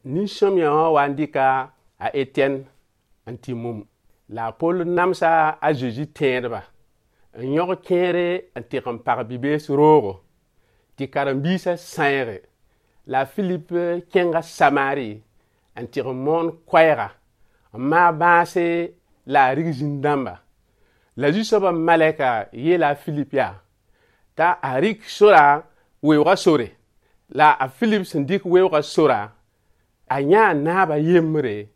Nin-sõamyã wã wa n dɩka a Etɛn n tɩ mum. La a Poll namsa a Zezi tẽedba n yõg kẽere n tɩg n pag bi-bees roogo tɩ karen-biisã sãeege. La a Filip kẽnga Samaari n tɩg n moon koɛɛga n maag bãase la a rig zĩn-dãmba. La Zu-soabã malɛka yeela a Filip yaa t'a a rɩk sora weoogã sore. La a Filip sẽn dɩk weoogã sora, a yãa naab a yembre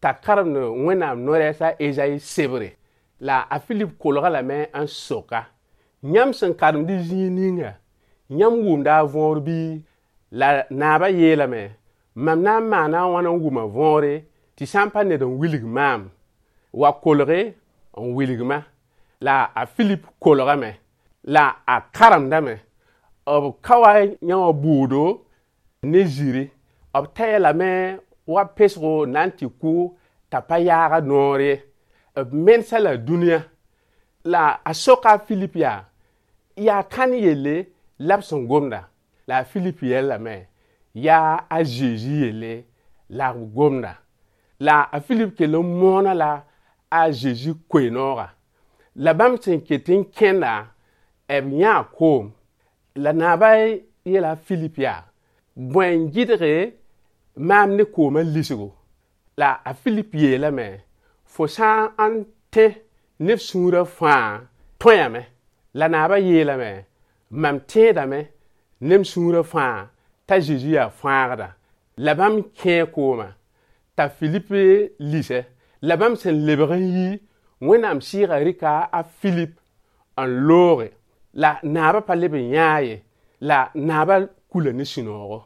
t'a karemd Wẽnnaam no-rɛɛs a Ezayi sebre. La a Filip kolg-a lame n sok-a: Yãmb sẽn karemd y zĩig ninga, yãmb wʋmda a võor bɩ? La naabã yeelame: Mam na n maana a wãn n wʋm a võore tɩ sã n pa ned n wilg maam? Wa kolge n wilg-ma. La a Filip kolgame la a karemdame. B ka wa yã wã bʋʋdo ne zĩri. B taya lame wa pesgo n na n tɩ kʋ t'a pa yaag a noor ye. B mensa la dũniyã. La a soka a Filip yaa: Yaa kãn yelle la b sẽn gomda? La a Filip yellame: Yaa a Zezi yelle la b gomda. La a Filip kell n moona la a Zezi koe-noogã. La bãmb sẽn ket n kẽnda, b yãa koom. La naabã yeela a Filip yaa: Bõe n gɩdge maam ne koomã lisgo? La a Filip yeelame: Fo sã n tẽ ne f sũurã fãa, tõeame. La naabã yeelame: Mam tẽedame ne m sũurã fãa t'a Zezi yaa fãagda. La bãmb kẽe koomã t'a Filip lise. La bãmb sẽn lebg n yi, Wẽnnaam sɩɩgã rɩka a Filip n looge. La naabã pa leb n yãa ye, la naabã kula ne sũ-noogo.